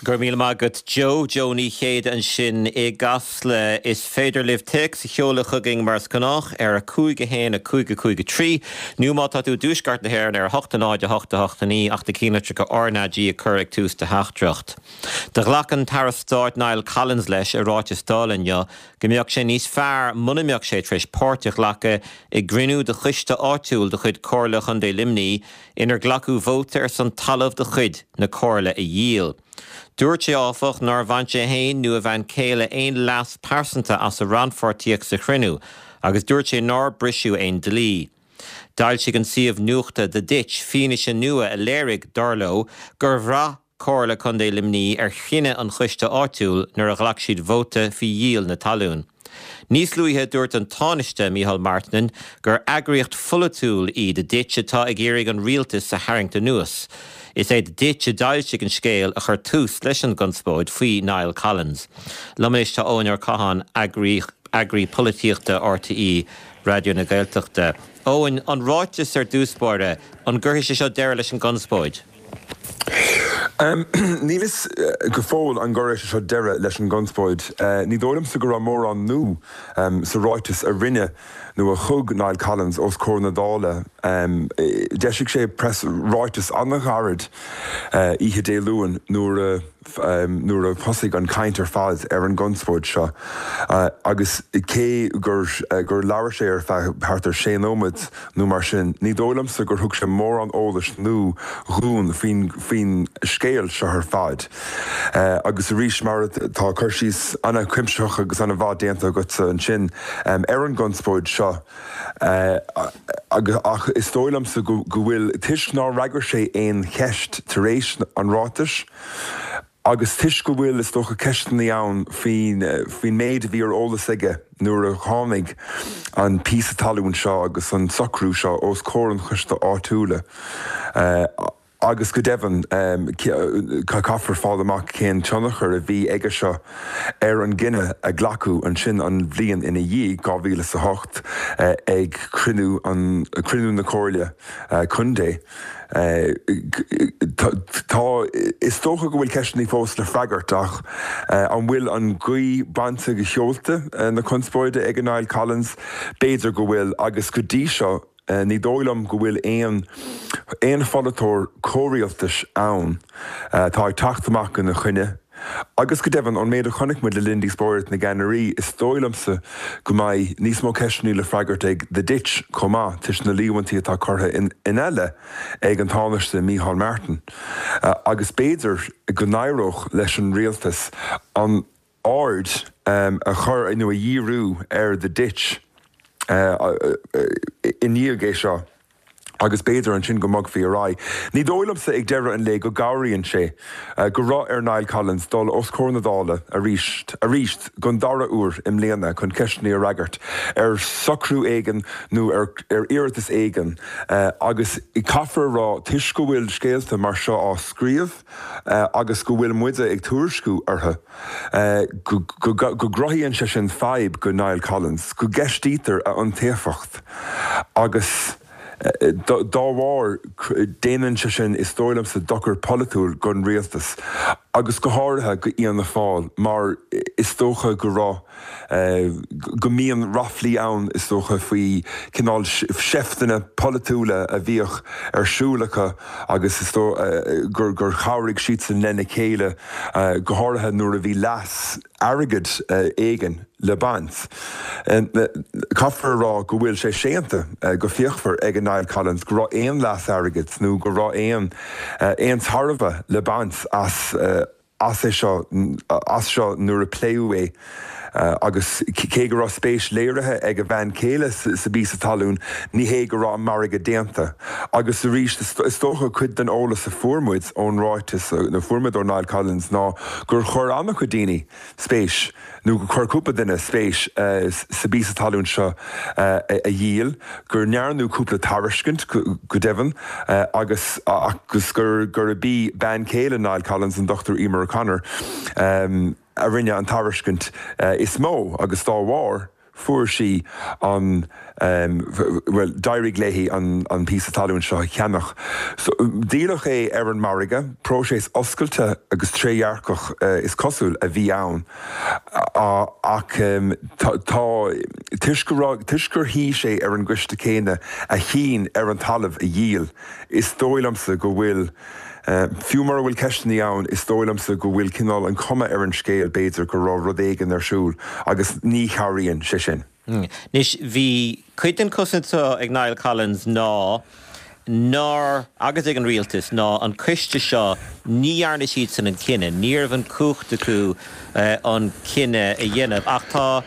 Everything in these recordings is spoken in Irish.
Go raibh míle maith agat Joe. Joe Ní Chéide ansin i gCasla. Is féidir libh téacs a sheoladh chugainn mar is gnách ar 5 1 5 5 3 nó má tá tú i dtuaisceart na hÉireann ar 8 0 8 8 9 ach na cinnlitreacha RnaG a chur ag tús do theachtaireacht. Do ghlac an tAire Stáit Niall Collins leis i ráiteas Dála inniu go mbeadh sé níos fearr muna mbeadh sé tar éis páirt a ghlacadh i gcruinniú de choiste áitiúil de chuid Comhairle Chontae Luimnigh inar glacadh vóta ar son talamh de chuid na Comhairle a dhíol. Dúirt sé, áfach, nár bhain sé féin nó a bhean chéile aon leas pearsanta as a rannpháirtíocht sa chruinniú agus dúirt sé nár briseadh aon dlí. D'fhoilsigh an suíomh nuachta The Ditch fianaise nua a léirigh, dar leo, gur bhraith Comhairle Contae Luimnigh ar chinneadh an choiste áitiúil nuair a ghlac siad vóta faoi dhíol na talún. Níos luaithe dúirt an Tánaiste Micheál Martin gur eagraíocht pholaitiúil í The Ditch atá ag iarraidh an rialtas a tharraingt anuas. Is é The Ditch a d'fhoilsigh an scéal a chuir tús leis an gconspóid faoi Niall Collins. Liom anois tá Eoin Ó Catháin, eagraí polaitíochta RTÉ Raidió na Gaeltachta. Eoin, an ráiteas ar dtús báire, an gcuirfidh sé seo deireadh leis an gconspóid? Níl fhios go fóill an gcuirfidh sé seo deireadh leis an gconspóid. Ní dóigh liomsa go raibh mórán nua sa ráiteas a rinne nó a thug Niall Collins os comhair na Dála. D'eisigh sé preas ráiteas an-ghairid oíche Dé Luain nuair a nuair a thosaigh an chaint ar fad ar an gconspóid seo agus cé gur gur labhair sé ar feadh thart ar sé nóiméad nó mar sin, ní dóigh liomsa gur thug sé mórán eolais nua dhúinn faoin faoin scéal seo ar fad. Agus arís, mar tá cur síos an-chuimsitheach agus an-mhaith déanta agatsa ansin ar an gconspóid seo, ach is dóigh liomsa go bhfuil, toisc nár fhreagair sé aon cheist tar éis an ráitis, Agus toisc go bhfuil, is dócha, ceisteanna ann faoin faoin méid a bhí ar eolas aige nuair a tháinig an píosa talún seo agus an socrú seo os comhair an choiste áitiúla agus go deimhin caithfear fáil amach cén tionchar a bhí aige seo ar an gcinneadh a glacadh ansin an bhliain ina dhiaidh, 2008, ag cruinniú an cruinniú na Comhairle Contae. Tá, is dócha go bhfuil ceisteanna fós le freagairt ach an bhfuil an ghaoth bainte de sheolta na conspóide ag Niall Collins? B'fhéidir go bhfuil agus go dtí seo ní dóigh liom go bhfuil aon aon pholaiteoir comhrialtais ann atá ag teacht amach ina choinne. Agus go deimhin, ón méid a chonaic muid le linn díospóireacht na gceannairí, is dóigh liomsa go mbeidh níos mó ceisteanna le freagairt ag The Ditch chomh maith, toisc na líomhaintí atá curtha ina leith ag an Tánaiste Micheál Martin. Agus b'fhéidir go n-éireodh leis an rialtas an aird a chur nó a dhíriú ar The Ditch i ndiaidh é seo. agus b'fhéidir ansin go mbogfaí ar aghaidh. Ní dóigh liomsa ag deireadh an lae go gcabhraíonn sé go raibh ar Niall Collins dul os comhair na Dála arís, arís don dara huair i mbliana chun ceisteanna a fhreagairt ar socrú éigin nó ar iarratas éigin agus caithfear a rá toisc go bhfuil scéalta mar seo á scríobh agus go bhfuil muide ag tuairisciú orthu go gcruthaíonn sé sin fadhb go Niall Collins, go gceistítear a iontaofacht agus dá bharr déanann sé sin, is dóigh liomsa, dochar polaitiúil don rialtas agus go háirithe go Fhianna Fáil mar is dócha go raibh go mbíonn ráflaí ann, is dócha, faoi chineál seifteanna polaitiúla a bhíodh ar siúl acu agus is dóigh gur gur chabhraigh siadsan lena chéile, go háirithe nuair a bhí leas airgid éigin le baint. Caithfear a rá go bhfuil sé séanta go fíochmhar ag Niall Collins go raibh aon leas airgid nó go raibh aon aon tairbhe le baint as as é seo as seo nuair a pléadh é agus cé go raibh spéis léirithe ag a bhean chéile sa bpíosa talún, ní hé go raibh an margadh déanta. Agus arís, is dócha cuid den eolas a fuair muid ón ráiteas, nó fuair muid ó Niall Collins ná gur chuir an-chuid daoine spéis, nó gur chuir cúpla duine spéis sa bpíosa talún seo a dhíol, go ndearnadh cúpla tairiscint, go deimhin, agus agus gurb í bean chéile Niall Collins, an Dr Emer O'Connor, a rinne an tairiscint is mó agus dá bharr. Fuair sí an, bhuel, d'éirigh léi an píosa talún seo a cheannach. So, díoladh é ar an margadh, próiseas oscailte agus trédhearcach is cosúil a bhí ann ach tá, toisc go raibh, toisc gur shuigh sé ar an gcoiste céanna a chinn ar an talamh a dhíol, is dóigh liomsa go bhfuil, Fiú mura bhfuil ceisteanna ann, is dóigh liomsa go bhfuil cineál an chuma ar an scéal, b'fhéidir, go raibh rud éigin ar siúl agus ní chabhraíonn sé sin. Anois, bhí cuid den chosaint seo ag Niall Collins ná nár, agus ag an rialtas, ná an coiste seo, ní dhearna siadsan an cinneadh, ní raibh an cumhacht acu an cinneadh a dhéanamh. Ach tá,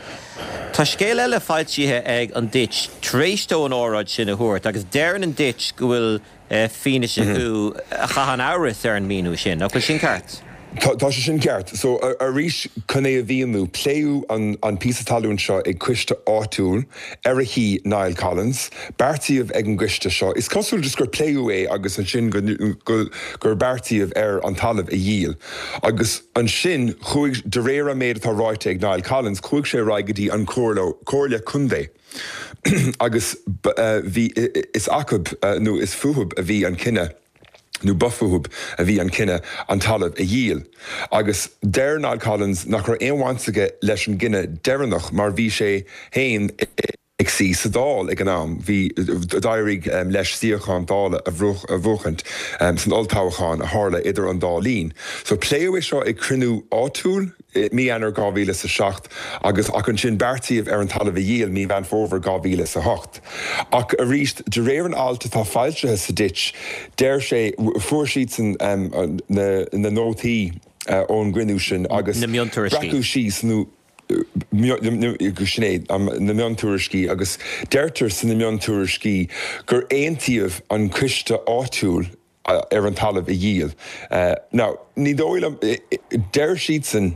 tá scéal eile foilsithe ag an Ditch tar éis dó an óráid sin a thabhairt agus deireann an Ditch go bhfuil fianaise acu a chaitheann amhras ar an míniú sin. Nach bhfuil sin ceart? Tá sé sin ceart. So, arís, chun é a mhíniú, pléadh an píosa talún seo ag coiste áitiúil ar a shuigh Niall Collins. Beartaíodh ag an gcoiste seo, is cosúil just gur pléadh é agus ansin gur beartaíodh ar an talamh a dhíol. Agus ansin chuaigh, de réir an méid atá ráite ag Niall Collins, chuaigh sé ar aghaidh go dtí an Comhairle Contae. Agus bhí, is acub, nó is fúthub a bhí an cinneadh, nó ba fúthub a bhí an cinneadh an talamh a dhíol. Agus deir Niall Collins nach raibh aon bhaint aige leis an gcinneadh deireanach mar bhí sé féin ag suí sa Dáil ag an am. Bhí, d'éirigh leis suíochán Dála a bhuachaint san olltoghchán a tharla idir an dá linn. So pléadh é seo ag cruinniú áitiúil, i mí Eanáir 2007 agus ach ansin beartaíodh ar an talamh a dhíol mí Mheán Fómhair 2008. Ach arís, de réir an ailt atá foilsithe sa Ditch, deir sé, fuair siadsan na nótaí ón gcruinniú sin agus Na miontuairiscí. breacadh síos nó sin é, na miontuairiscí agus deirtear sna miontuairiscí gur aontaíodh an coiste áitiúil ar an talamh a dhíol. Now, ní dóigh liom, deir siadsan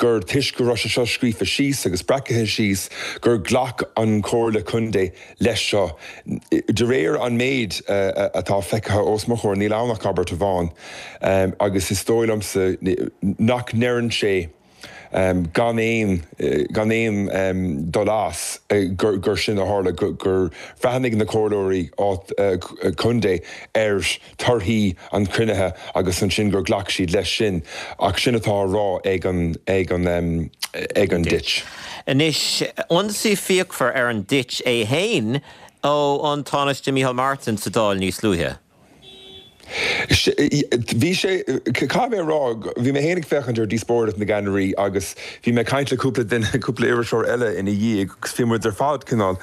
gur toisc go raibh sé seo scríofa síos agus breacaithe síos gur ghlac an Chomhairle Contae leis seo. De réir an méid atá feicthe os mo chomhair, níl ann ach abairt amháin agus is dóigh liomsa nach ndeireann sé, gan aon, gan aon dul as, gur sin a tharla, gur bhreathnaigh na comhairleoirí contae ar thorthaí an chruinnithe agus ansin gur ghlac siad leis sin. Ach sin atá á rá ag an, ag an, ag an Ditch. Anois, ionsaí fíochmhar ar an Ditch é fhéin ó an Tánaiste Micheál Martin sa Dáil níos luaithe. Bhí sé, caithfidh mé a rá, bhí mé féin ag féachaint ar Díospóireacht na gCeannairí agus bhí mé ag caint le cúpla duine, cúpla iriseoir eile ina dhiaidh agus bhí muid ar fad cineál,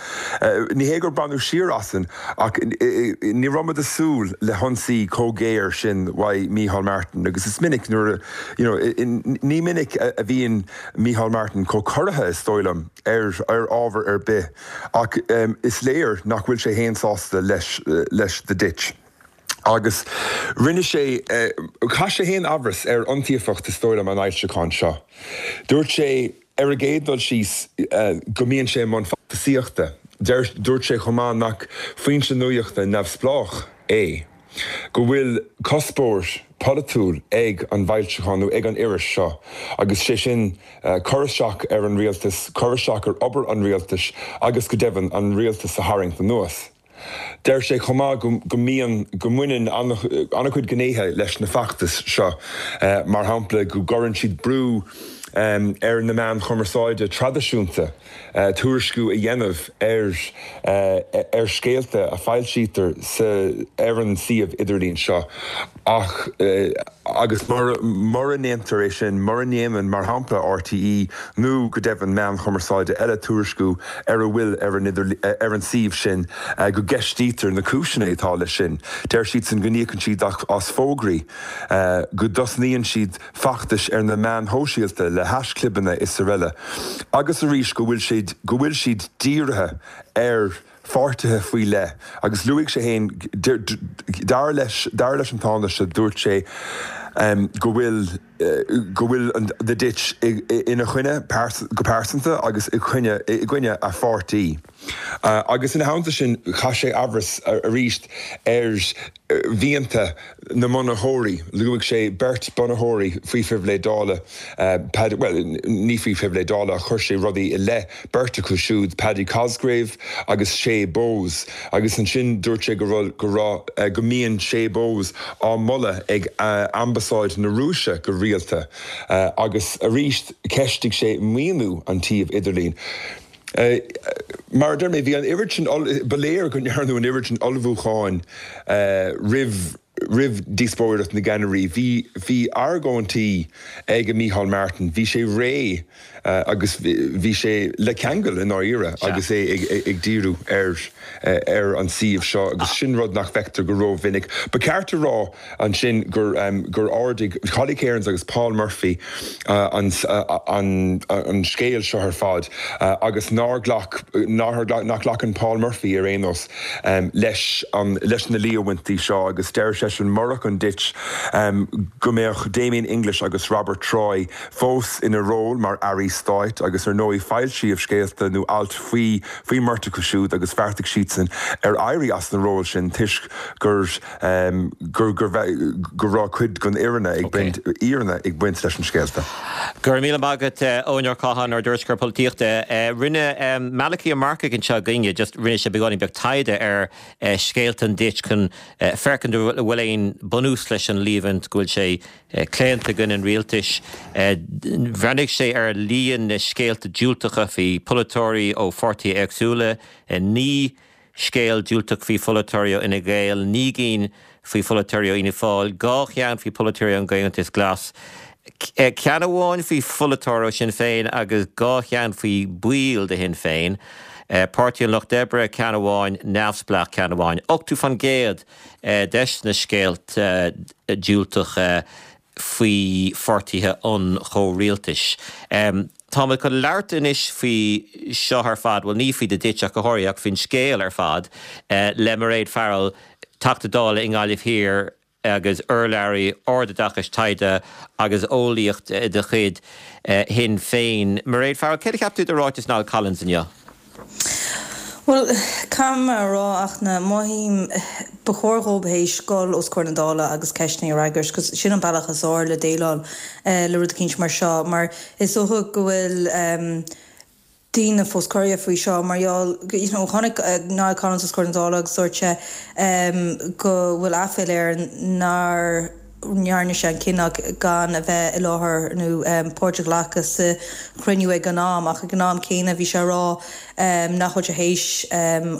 ní hé gur baineadh siar asainn ach ní raibh muid ag súil le hionsaí chomh géar sin uaidh Micheál Martin agus is minic nuair a, you know, ní minic a bhíonn Micheál Martin chomh corraithe is dóigh liom ar ábhar ar bith. Ach is léir nach bhfuil sé fhéin sásta leis leis The Ditch. Agus rinne sé, chaith sé fhéin amhras ar iontaofacht is dóigh liom an fhoilseacháin seo. Dúirt sé ar an gcéad dul síos go mbíonn sé i mbun feachtasaíochta. Dúirt sé chomh maith nach foinse nuachta neamhspleách é. go bhfuil cuspóir polaitiúil ag an bhfoilseachán nó ag an iris seo agus sé sin cur isteach ar an rialtas, cur isteach ar obair an rialtais agus go deimhin an rialtas a tharraingt anuas. Deir sé chomh maith go mbíonn, go mbaineann an-chuid gnéithe leis na feachtais seo, mar shampla go gcuireann siad brú ar na meáin chumarsáide traidisiúnta. tuairisciú a dhéanamh ar ar scéalta a foilsítear sa ar an suíomh idirlín seo ach agus mura ndéantar é sin, mura ndéanann, mar shampla, RTÉ nó go deimhin meáin chumarsáide eile tuairisciú ar a bhfuil ar an ar an suíomh sin, go gceistítear na cúiseanna atá leis sin. Deir siadsan go n-íocann siad as fógraí, go dtosnaíonn siad feachtais ar na meáin shóisialta le haischlibeanna is araile agus arís go bhfuil siad, go bhfuil siad dírithe ar pháirtithe faoi leith agus luaigh sé féin, dar leis, dar leis an Tánaiste, dúirt sé. go bhfuil go bhfuil The Ditch ina choinne go pearsanta agus i gcoinne i gcoinne a pháirtí. Agus ina theannta sin chaith sé amhras arís ar mhianta na mbunaitheoirí. Luaigh sé beirt bunaitheoirí faoi phribhléid Dála, Paddy, bhuel, ní faoi phribhléid Dála ach chuir sé rudaí i leith beirt acu siúd, Paddy Cosgrave agus Shay Bowes. Agus ansin dúirt sé go raibh, go raibh, go mbíonn Shay Bowes á moladh ag Ambasáid na Rúise go rialta. Agus arís cheistigh sé maoiniú an tsuímh idirlín. Mar a deir mé, bhí an oiread sin, ba léir go ndearnadh an oiread sin ullmhúcháin roimh, roimh dhíospóireacht na gceannairí. Bhí, bhí argóintí ag Micheál Martin, bhí sé réidh agus bhí sé le ceangal i ndáiríre agus é ag díriú ar, ar an suíomh seo agus sin rud nach bhfeictear go rómhinic. Ba cheart a rá ansin gur, gur ardaigh Holly Cairns agus Paul Murphy an, an, an scéal seo ar fad agus nár ghlac, nár, nach nglacann Paul Murphy ar aon nós leis an, leis na líomhaintí seo agus deir seisean murach an Ditch go mbeadh Damien English agus Robert Troy fós ina ról mar airí stáit agus ar ndóigh foilsíodh scéalta nó ailt faoi faoin mbeirt acu siúd agus bheartaigh siadsan ar éirí as na róil sin toisc gur gur gur go raibh cuid den fhírinne ag baint fhírinne ag baint leis na scéalta. Go raibh míle maith agat Eoin Ó Catháin, ár dtuairisceoir polaitíochta. Rinne Malachy Ó Marcaigh anseo againne just rinne sé beagáinín beag taighde ar scéalta an Ditch chun féachaint an bhfuil aon bunús leis an líomhaint go bhfuil sé claonta i gcoinne an rialtais. Bhreathnaigh sé ar líon na scéalta diúltacha faoi pholaiteoirí ó pháirtithe éagsúla, 9 scéal diúltach faoi pholaiteoirí ó Fhine Gael, 9 gcinn faoi pholaiteoirí ó Fhianna Fáil, 2 cheann faoi pholaiteoirí ón gComhaontas Glas, ceann amháin faoi pholaiteoir ó Shinn Féin agus 2 cheann faoi bhaill de Shinn Féin, Páirtí an Lucht Oibre, ceann amháin, neamhspleách, ceann amháin. 80% des na scéalta diúltacha faoi pháirtithe an chomhrialtais. Táimid chun labhairt anois faoi seo ar fad, bhuel ní faoi The Ditch ach go háirithe, ach faoin scéal ar fad, le Mairéad Farrell, Teachta Dála i nGaillimh Thiar agus urlabhraí ardoideachais, taighde agus eolaíocht de chuid Shinn Féin. Mairéad Farrell, céard a cheap tú de ráiteas Niall Collins inniu? Bhuel, caithfidh mé a rá ach na mothaím ba chóir dhób théis dul os comhair na Dála agus ceisteanna a fhreagairt 'cause sin an bealach is fhearr le déileáil le rud eicínt mar seo mar is dócha go bhfuil daoine fós corraithe faoi seo mar gheall you know tháinig Niall Collins os comhair na Dála agus dúirt sé go bhfuil aiféala air nár ndearna sé an cinneadh gan a bheith i láthair nó páirt a ghlacadh sa chruinniú ag an am ach ag an am céanna bhí sé ag rá nach bhfuil sé théis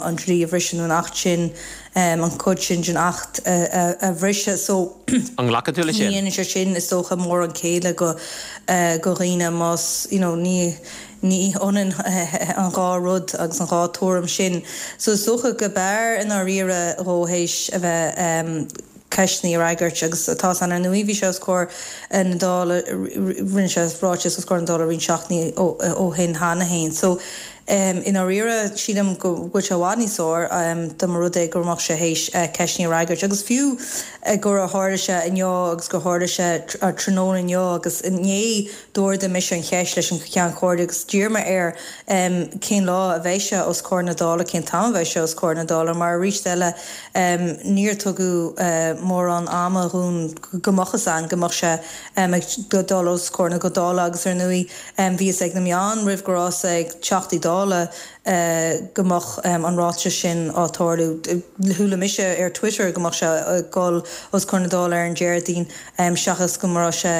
an dlí a bhriseadh nó an Acht sin, an chuid sin den Acht a bhriseadh. So An nglacann tú leis sin? ní dhéanann sé sin is dócha mórán céille go go dhaoine más you know ní ní ionann an dhá rud agus an dhá tuairim sin. So is dócha go b'fhearr i ndáiríre dhó théis a bheith ceisteanna a fhreagairt agus tá san ar ndóigh bhí sé os comhair na Dála rinne sé ráiteas os comhair na Dála roinnt seachtainí ó shin cheana féin so i ndáiríre sílim go bhfuil sé i bhfad níos fearr dá mba rud é go mbeadh sé théis ceisteanna a fhreagairt agus fiú gur tharla sé inniu agus gur tharla sé tráthnóna inniu agus inné D'ardaigh mise an cheist leis an Cheann Comhairle agus d'iarr mé air cén lá a bheidh sé os comhair na Dála, cén t-am a bheidh sé os comhair na Dála, mar arís eile níor tugadh mórán ama dhúinn go mbeadh fhios a'inn go mbeadh sé ag dul os comhair na Dála agus ar ndóigh bhí fhios ag na meáin roimh go raibh fhios ag Teachtaí Dála go mbeadh an ráiteas sin á tarlú. Chuala mise ar Twitter go mbeadh sé ag dul os comhair na Dála ar an Déardaoin. seachas go raibh sé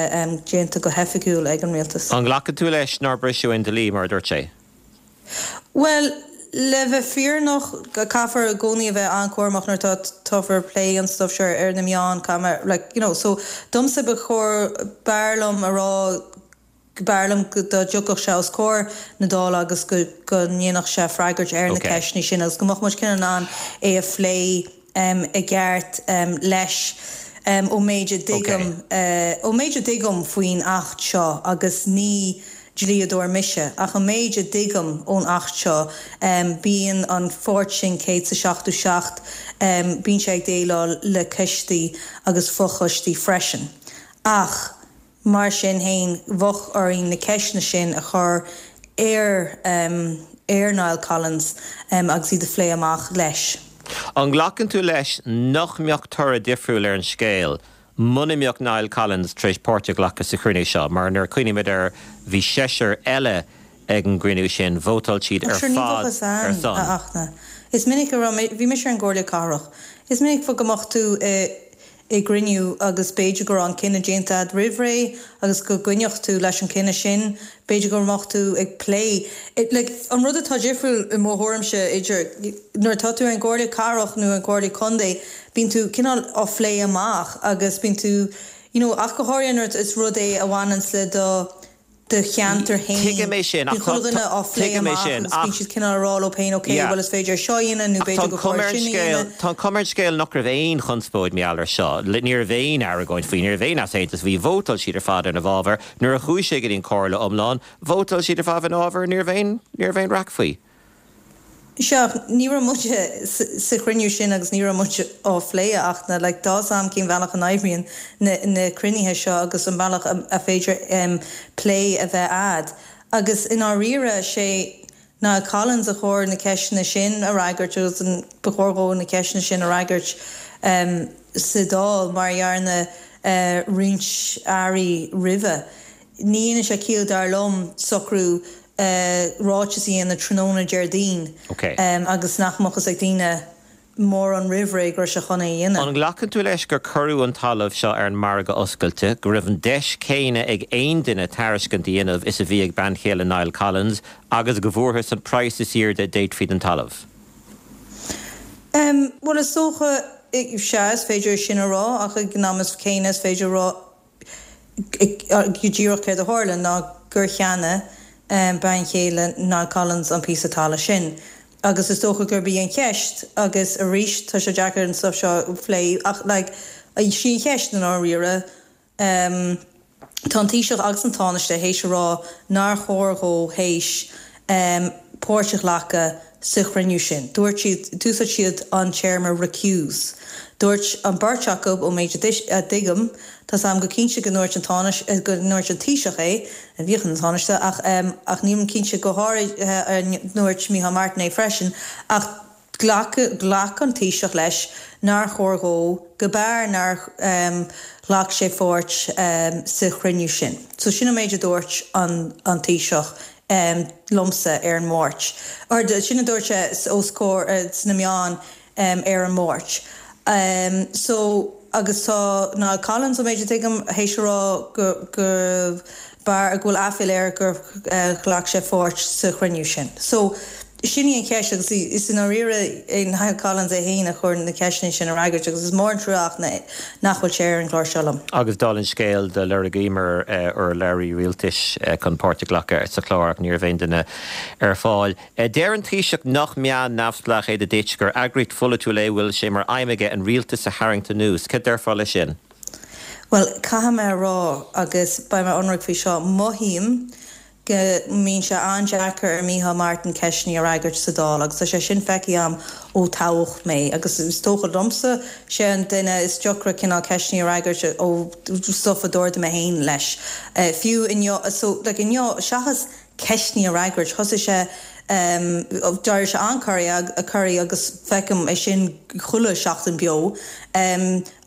déanta go hoifigiúil ag an rialtas. An nglacann tú leis nár briseadh aon dlí, mar a dúirt sé? Bhuel, le bheith fírinneach, caithfear i gcónaí a bheith an-chúramach nuair atá táfar ag plé an stuif seo ar na meáin, caithfidh mé, like, you know, so domsa ba chóir, b'fhearr liom a rá B'fhearr liom dá dtiocfadh sé os comhair na Dála agus go ndéanfadh sé freagairt ar na ceisteanna sin agus go mbeadh muid cineál in ann é a phlé i gceart leis. Ón méid a dtuigim, ón méid a dtuigim faoin Acht seo, agus ní dlíodóir mise, ach an méid a dtuigim ón Acht seo, bíonn an pháirt sin 177, bíonn sé ag déileáil le coistí agus fochoistí freisin. Ach mar sin fhéin bheadh orainn na ceisteanna sin a chur ar ar Niall Collins agus iad a phlé amach leis. An nglacann tú leis nach mbeadh toradh difriúil ar an scéal muna mbeadh Niall Collins tar éis páirt a ghlacadh sa chruinniú seo? Mar nuair a cuimhnímid air bhí seisear eile ag an gcruinniú sin, vótáil siad ar Sure ní fad bheadh fhios ar a'm, son. a Fhachtna. Is minic a raibh, bhí mise ar an gComhairle Cathrach, is minic go mbeadh tú i i gcruinniú agus b'fhéidir go raibh an cinneadh déanta a'd roimh ré agus go gcoinneodh tú leis an cinneadh sin, b'fhéidir go mbeadh tú ag plé, like an rud atá difriúil i mo thuairimse idir nuair atá tú ar an gComhairle Cathrach nó an Comhairle Contae bíonn tú cineál á phlé amach agus bíonn tú you know ach go háirithe nuair is rud é a bhaineanns le do do cheantar féin. Tuigim é sin, ach Bíonn chuile dhuine á phlé tuigim é amach sin, agus bíonn ach siad cineál ag rá leo féin ok, yeah. bhuel is féidir é seo a dhéanamh nó Ach tá b'fhéidir an gur chuma chóir ar an sin a scéal, dhéanamh. tá an chuma ar an scéal nach raibh aon chonspóid mar gheall air seo. Ní raibh aon argóint faoi, ní raibh aon easaontas faoi. Vótáil siad ar fad ina bhfabhar. Nuair a chuaigh sé go dtí an Chomhairle iomlán, vótáil siad ar fad ina bhfabhar, ní raibh aon, ní raibh aon raic faoi. Sea, ach ní raibh muid sa chruinniú sin agus ní raibh muid á phlé ach na, like, tá 'fhios a'm cén bhealach a n-oibríonn na, na cruinnithe seo agus an bealach a, a féidir plé a bheith a'd. Agus i ndáiríre, sé Niall Collins a chóir na ceisteanna sin a fhreagairt agus an, ba chóir dhó na ceisteanna sin a fhreagairt sa Dáil mar a dhearna roinnt airí roimhe. Ní dhéanann sé ciall dar liom socrú ráiteas a dhéanamh tráthnóna Déardaoin agus nach mbeadh fhios ag daoine mórán roimh ré go raibh sé chun é a dhéanamh. An nglacann tú leis gur cuireadh an talamh seo ar an margadh oscailte, go raibh an deis chéanna ag aon duine tairiscint a dhéanamh is a bhí ag bean chéile Niall Collins agus go bhfuarthas an praghas is airde a d'fhéadfaí don talamh? Bhuel, is dócha, sea, is féidir é sin a rá ach ag an am céanna is féidir a rá go díreach céard a tharla ná gur cheannaigh bean chéile Niall Collins an píosa talaimh sin agus is dócha gurb í an cheist agus arís tá sé deacair an stuif seo a phlé ach like sí an cheist i ndáiríre tá an Taoiseach agus an Tánaiste théis a rá nár chóir dhó théis páirt a ghlacadh sa chruinniú sin. Dúirt siad, d'úsáid siad an téarma recuse. Dúirt an beirt acu, ón méid a dtuigim, tá 's a'm go cinnte go ndúirt an Tánaiste, go ndúirt an Taoiseach é, a bhíodh ina Thánaiste, ach, ach nílim cinnte go háirithe ar ndúirt Micheál Martin é freisin, ach ghlac, ghlac an Taoiseach leis nár chóir dhó, go b'fhearr nár ghlac sé pháirt sa chruinniú sin. So sin an méid a dúirt an Taoiseach liomsa ar an Máirt. Or sin a dúirt sé os comhair sna meáin ar an Máirt. So agus tá Niall Collins, ón méid a tuigim, théis a rá go go b'fhearr, go bhfuil aiféala air gur ghlac sé pháirt sa chruinniú sin. So sin í an cheist agus is i ndáiríre é Niall Collins é féin a chóir na ceisteanna sin a fhreagairt agus is mór an trua ach nach bhfuil sé ar an gclár seo liom. Agus dála an scéil do lorgaíomar urlabhraí rialtais chun páirt a ghlacadh sa chlár ach ní raibh aon duine ar fáil. Deir an Taoiseach nach meán neamhspleách é The Ditch, gur eagraíocht pholaitiúil é a bhfuil sé mar aidhm aige an rialtas a tharraingt anuas. Cad déarfá leis sin? Bhuel, caithfidh mé a rá, agus beidh mé ionraic faoi seo, mothaím go mbíonn sé an-deacair ar Micheál Martin ceisteanna a fhreagairt sa Dáil agus tá sé sin feicthe agam ó toghadh mé agus is dócha liomsa, sé an duine is deacra cineál ceisteanna a fhreagairt ó stuff a d'ardaigh mé féin leis. Fiú inniu, so like inniu, seachas ceisteanna a fhreagairt, thosaigh sé, d'éirigh sé an-corraithe agus feicim é sin chuile sheachtain beo.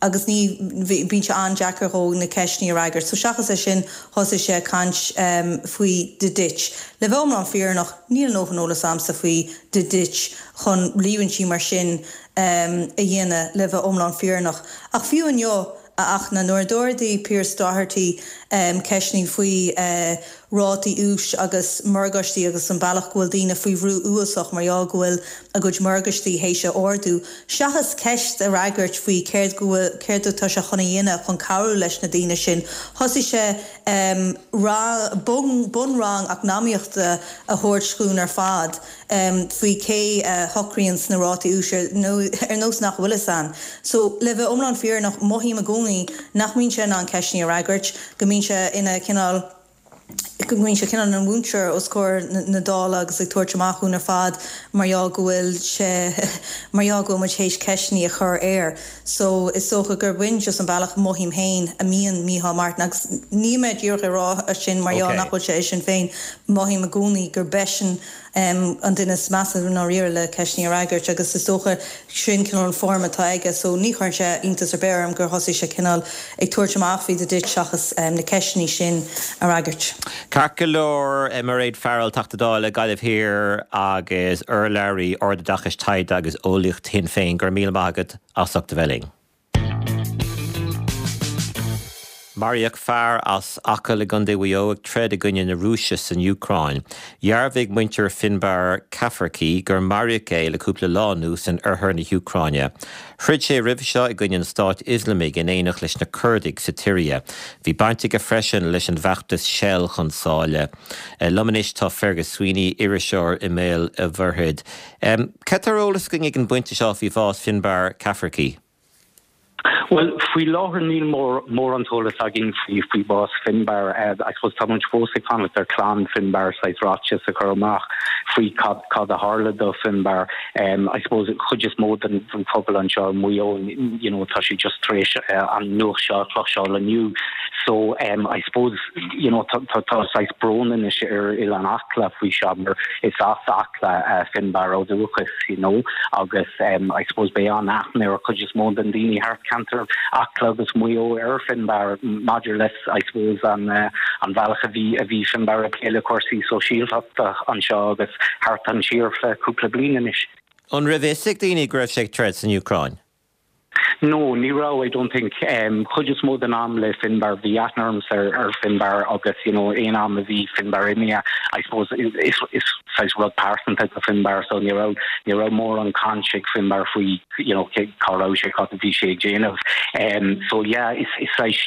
agus ní, bíonn sé an-deacair dhó na ceisteanna a fhreagairt. So seachas é sin, thosaigh sé ag caint faoi The Ditch. Le bheith iomlán fírinneach, níl a ndóthain eolas a'msa faoi The Ditch chun líomhaintí mar sin a dhéanamh, le bheith iomlán fírinneach. Ach fiú inniu, a Fhachtna, nuair a d'ardaigh Pearse Doherty ceisteanna faoi rátaí úis agus morgáistí agus an bealach go bhfuil daoine faoi bhrú uafásach mar gheall go bhfuil a gcuid morgáistí théis a ardú. Seachas ceist a fhreagairt faoi céard go bhfuil, céard atá sé chun a dhéanamh chun cabhrú leis na daoine sin, thosaigh sé rang, bun, bunrang eacnamaíochta a thabhairt dhúinn ar fad faoi cé a shocraíonns na rátaí úis ar, ar nós nach bhfuil fhios a'inn. So, le bheith iomlán fírinneach, mothaím i gcónaí nach mbíonn sé in ann ceisteanna a fhreagairt, go mbíonn sé ina chineál. go mbíonn sé cineál ina mhúinteoir os comhair na Dála agus ag tabhairt amach dhúinn ar fad mar gheall go bhfuil sé, mar gheall go bhfuil muid théis ceisteannaí a chur air. So is dócha gurb in just an bealach, mothaím féin, a mbíonn Micheál Martin agus níl mé díreach ag rá sin mar gheall nach bhfuil sé i Sinn Féin, mothaím i gcónaí gurb eisean an duine is measa i ndáiríre le ceisteannaí a fhreagairt agus is dócha sin cineál an form atá aige so ní chuireann sé iontas ar bith orm gur thosaigh sé cineál ag tabhairt amach faoi duit seachas na ceisteannaí sin a fhreagairt. Ceart go leor, Mairéad Farrell, Teachta Dála, Gaillimh Thiar agus urlabhraí Ardoideachais, Taighde agus Eolaíocht Shinn Féin, go raibh míle maith agat as ucht a bheith linn. Maraíodh fear as Acaill i gContae Mhaigh Eo ag troid i gcoinne na Rúise san Úcráin. Dhearbhaigh muintir Finbarr Cafferkey gur maraíodh é le cúpla lá anuas in oirthear na hÚcráine. Throid sé roimhe seo i gcoinne an Stáit Ioslamaigh in éineacht leis na Curdaigh sa tSiria. Bhí baint aige freisin leis an bhfeachtas Shell chun Sáile. Liom anois tá Fergus Sweeney, iriseoir i mBéal a' Mhuirthead. Cad tá ar eolas againn ag an bpointe seo faoi bhás Finbarr Cafferkey? Bhuel, faoi láthair níl mórán eolas againn faoi bhás Finbarr. I suppose tá muid fós ag fanacht ar chlann Finbarr saghas ráiteas a chur amach faoi cad cad a tharla do Finbarr. I suppose chuid is mó den phobal anseo i Maigh Eo, you know, tá siad just tar éis an nuacht seo a chloisteáil inniu. So I suppose, you know, tá tá saghas brón anois ar Oileán Acla faoi seo mar is as Acla Finbarr ó dhúchas, you know, agus I suppose beidh an-aithne ar chuid is mó den daoine thart ceantar Acla agus Maigh Eo ar Finbarr maidir le I suppose an an bhealach a bhí a bhí Finbarr ag plé le cúrsaí sóisialtachta anseo agus thart an tír le cúpla bliain anois. An raibh fhios ag daoine go raibh sé ag troid san Úcráin? No, ní raibh, I don't think. Chuid is mó den am le Finbarr, bhí aithne ormsa ar ar Finbarr agus you know aon am a bhí Finbarr imithe, I suppose is is saghas rud pearsanta do Finbarr so ní raibh ní raibh mórán caint ag Finbarr faoi you know cé cá raibh sé, cad a bhí sé ag déanamh. So yeah, is is saghas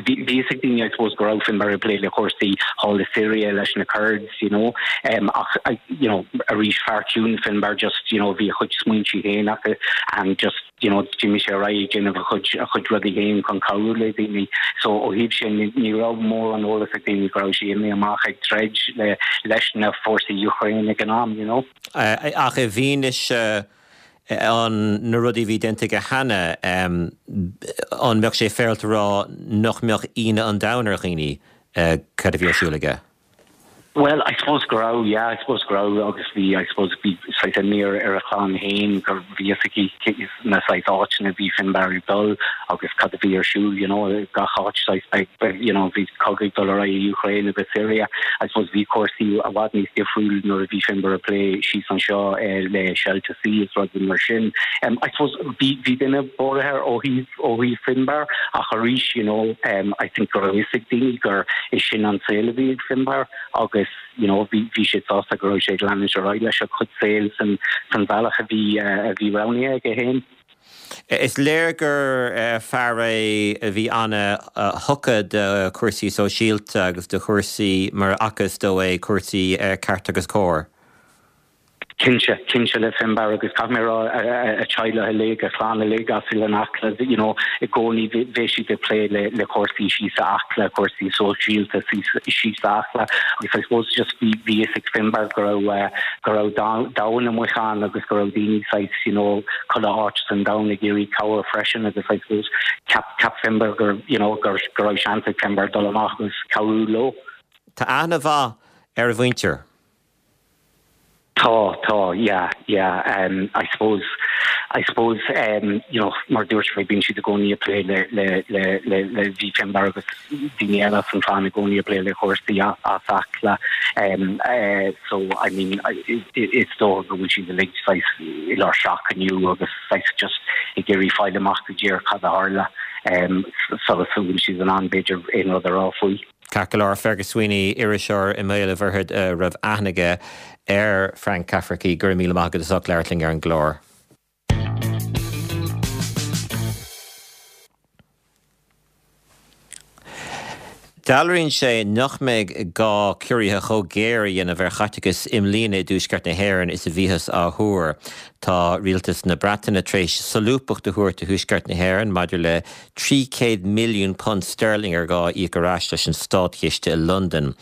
bhí bhí fhios ag daoine I suppose go raibh Finbarr ag plé le cúrsaí thall i Syria leis na Kurds, you know. Ach you know arís fear ciúin Finbarr just you know bhí a chuid smaointe féin acu and just you know d'imigh sé ar aghaidh ag déanamh a chuid a chuid rudaí féin chun cabhrú le daoine. So ó thaobh sin ní raibh mórán eolas ag daoine go raibh sé imithe amach ag troid le leis na fórsaí Ukraine ag an am you know. Ach i bhfianaise an na rudaí a bhí déanta aige cheana, an mbeadh sé féaráilte a rá nach mbeadh ionadh an domhain ar dhaoine cad a bhí ar siúl aige? Bhuel, I suppose go raibh, yeah, I suppose go raibh agus bhí, I suppose, bhí saghas imní ar ar a chlann féin gur bhí fhios aici na saghas áiteanna a bhí Finbarr ag dul agus cad a bhí ar siúl, you know, gach áit saghas beidh, you know, bhí cogadh ag dul ar aghaidh i Ukraine agus Syria. I suppose bhí cúrsaí i bhfad níos difriúil nuair a bhí Finbarr ag plé síos anseo le Shell to Sea is rudaí mar sin. I suppose bhí, bhí duine buartha ó thaobh ó thaobh Finbarr ach arís you know I think go raibh fhios ag daoine gur é sin an saol a bhí ag Finbarr agus you know bhí bhí siad sásta go raibh sé ag leanúint ar aghaidh leis a chuid saoil san san bhealach a bhí a bhí roghnaithe aige féin. Is léir gur fear é a bhí ana-thugtha do chúrsaí sóisialta agus do chúrsaí, mar a fhacthas dó é, cúrsaí ceart agus cóir. Cinnte, cinnte le Finbarr agus caithfidh mé a rá a teaghlach uilig, a chlann uilig as Oileán Acla, you know, i gcónaí bheadh siad ag plé le le cúrsaí síos i Acla, cúrsaí sóisialta síos síos i Acla agus I suppose just bhí bhí fhios ag Finbarr go raibh go raibh domhan amuigh ann agus go raibh daoine saghas, you know, chuile áit san domhan ag iarraidh cabhair freisin agus I suppose cheap cheap Finbarr gur, you know, gur go raibh seans ag Finbarr dul amach agus cabhrú leo. Tá aithne mhaith ar a mhuintir. Tá, tá, yeah, yeah. Um, I suppose, I suppose, um, you know, mar dúirt mé, bíonn siad i gcónaí ag plé le, le, le, le, le bhí Finbarr agus daoine eile as an chlann i gcónaí ag plé le cúrsaí as Acla. Um, uh, so, I mean, is dócha go bhfuil siad uilig saghas i lár shock inniu agus saghas just ag iarraidh fáil amach go díreach cad a tharla um, sula bhfuil siad in ann b'fhéidir aon rud a rá faoi. Ceart go leor, Fergus Sweeney, iriseoir i mBéal an Mhuirthead a raibh aithne aige ar Frank Cafferkey, go raibh míle maith agat as ucht labhairt linn ar an gclár. Dealraíonn sé nach mbeidh gá ciorruithe chomh géar a dhéanamh ar chaiteachas i mbliana i dTuaisceart na hÉireann is a bhíothas á thuar. Tá Rialtas na Breataine tar éis solúbthacht a thabhairt do Thuaisceart na hÉireann maidir le £300 milliún sterling ar gá a íoc ar ais leis an státchiste i Londain.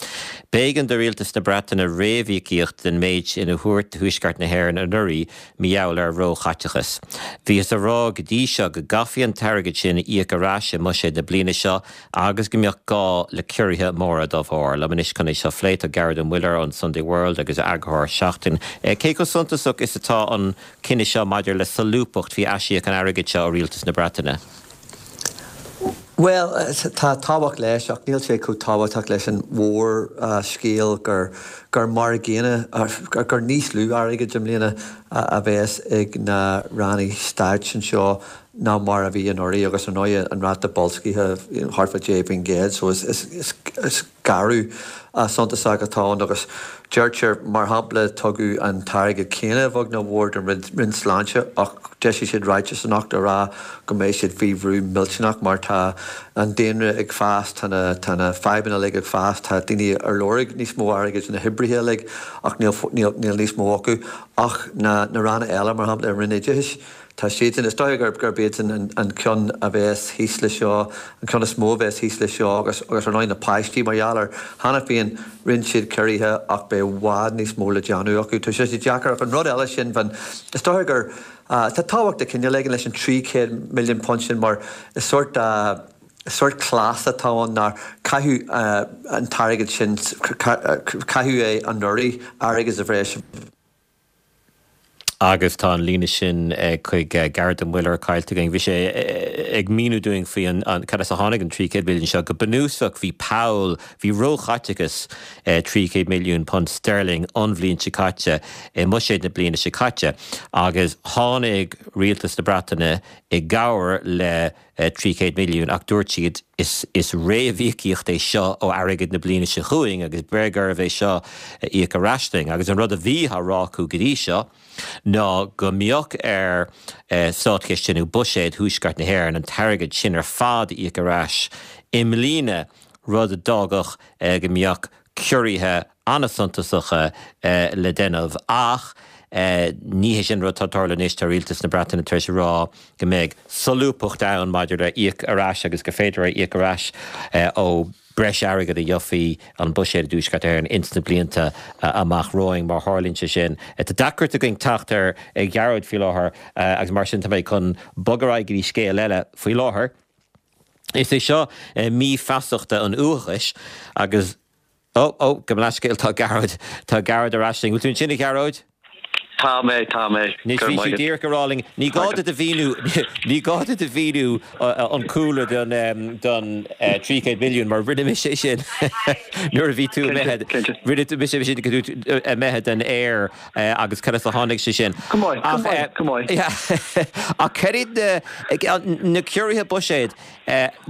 B'éigean do Rialtas na Breataine réamhíocaíocht den méid sin a thabhairt do Thuaisceart na hÉireann anuraidh mar gheall ar róchaiteachas. Bhíothas a rá go dtí seo go gcaithfí an t-airgead sin a íoc ar ais i mbuiséad na bliana seo agus go mbeadh gá le ciorruithe móra dá bharr. Liom anois chun é seo a phlé tá Gearóid Ó Muilleoir ón Sunday World agus eagarthóir Seachtain. Cé chomh suntasach is atá an cinneadh seo maidir le solúbthacht faoi aisíoc an airgid seo ó Rialtas na Breataine? Bhuel, tá tábhacht leis ach níl sé chomh tábhachtach leis an mhórscéal gur gur mar a gcéanna, gur níos lú airgid i mbliana a bheas ag na ranna stáit anseo ná mar a bhí anuraidh agus ar ndóigh an ráta boilscithe thart fá 10% so is gearradh suntasach atá ann agus deirtear mar shampla tugadh an t-airgead céanna a bheag nó a mhór don Roinn Sláinte ach d'eisigh siad ráiteas anocht a rá go mbeidh siad faoi bhrú millteanach mar tá an daonra ag fás, tá na tá na fadhbanna uilig ag fás, tá daoine ar lorg níos mó airgid, na hoibrithe uilig ach níl níl níos mó acu ach na na ranna eile mar shampla an Roinn Oideachais. Tá siadsan, is dóiche gurb iadsan an ceann a bheas thíos leis seo, an ceann is mó a bheas thíos leis seo agus agus ar ndóigh na páistí mar gheall ar, cheana féin rinne siad ciorruithe ach beidh i bhfad níos mó le déanamh acu. Tá sé deacair ach an rud eile sin, bhean, is dóiche gur, tá tábhacht de chineál éigin leis an £300 milliún sin mar is sórt, sórt cleas atá ann nár caitheadh an t-airgead sin, caitheadh é anuraidh, airgead sa bhreis. Agus tá an líne sin chuig Gearóid Ó Muilleoir caillte againn. Bhí sé ag míniú dúinn faoi an cad as a tháinig an 300 milliún seo. Go bunúsach bhí poll, bhí róchaiteachas £300 milliún sterling an bhliain seo caite i mbuiséad na bliana seo caite agus tháinig rialtas na Breataine i gcabhair le 300 milliún ach dúirt siad is is réamhíocaíocht é seo ó airgead na bliana seo chugainn agus beidh oraibh é seo a íoc ar ais linn. Agus an rud a bhí á rá acu go dtí seo ná go mbeadh ar státchiste nó buiséad Thuaisceart na hÉireann an t-airgead sin ar fad a íoc ar ais i mbliana, rud a d'fhágfadh go mbeadh ciorruithe an-suntasacha le déanamh ach ní hé sin an rud atá ag tarlú anois. Tá Rialtas na Breataine tar éis a rá go mbeidh solúbthacht ann maidir le íoc ar ais agus gur féidir é a íoc ar ais ó breis airgid a gheofaí an buiséad i dTuaisceart Éireann ins na blianta amach romhainn má tharlaíonn sé sin. Tá deacracht againn teacht ar Ghearóid faoi láthair agus mar sin tá mé chun bogadh ar aghaidh go dtí scéal eile faoi láthair. Is é seo mí feasachta an uathachais agus, ó, ó, gabh mo leathscéal, tá Gearóid, tá Gearóid ar ais linn. Bhfuil tú ansin, a Ghearóid? Tá mé, tá mé. Anois, bhí tú díreach ag rá linn, ní gá duit a mhíniú, ní gá duit a mhíniú an cúlra don, don 300 milliún mar rinne mise é sin nuair a bhí tú imithe, rinne mise é sin go tú imithe den aer agus cad as a tháinig sé sin. Go maith, go maith, go maith. Ach cad iad na, na ciorruithe buiséid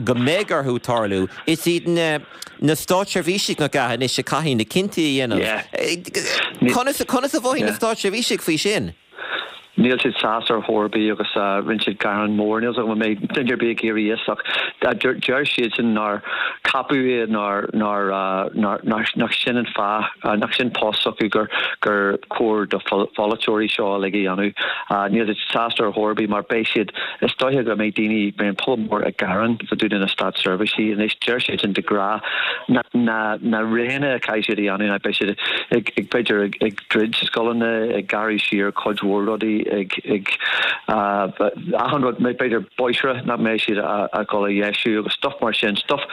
go mbeidh orthu tarlú, is iad na, na státseirbhísigh nach ea anois a chaithfidh na cinntí a dhéanamh. Conas, conas a mhothaíonn na státseirbhísigh faoi sin? Níl siad sásta ar chor ar bith agus rinne siad gearán mór. Níl 's agam an mbeidh duine ar bith ag iarraidh fhios ach deir siadsan nár ceapadh iad nár nár nár nach sin an fáth nach sin post s'acu gur gur chóir do pholaiteoirí seo uilig a dhéanamh. Níl siad sásta ar chor ar bith mar beidh siad is dóiche go mbeidh daoine beidh an pobal mór ag gearán fá dtaobh de na státseirbhísigh anois deir siadsan de ghnáth na na na roghanna a chaithfidh siad a dhéanamh ná beidh siad ag ag b'fhéidir ag ag druid scoileanna, ag gearradh siar cuid mhór rudaí, ag, ag, achan rud, b'fhéidir bóithre nach mbeidh siad a dhul a dheisiú agus stuff mar sin, stuff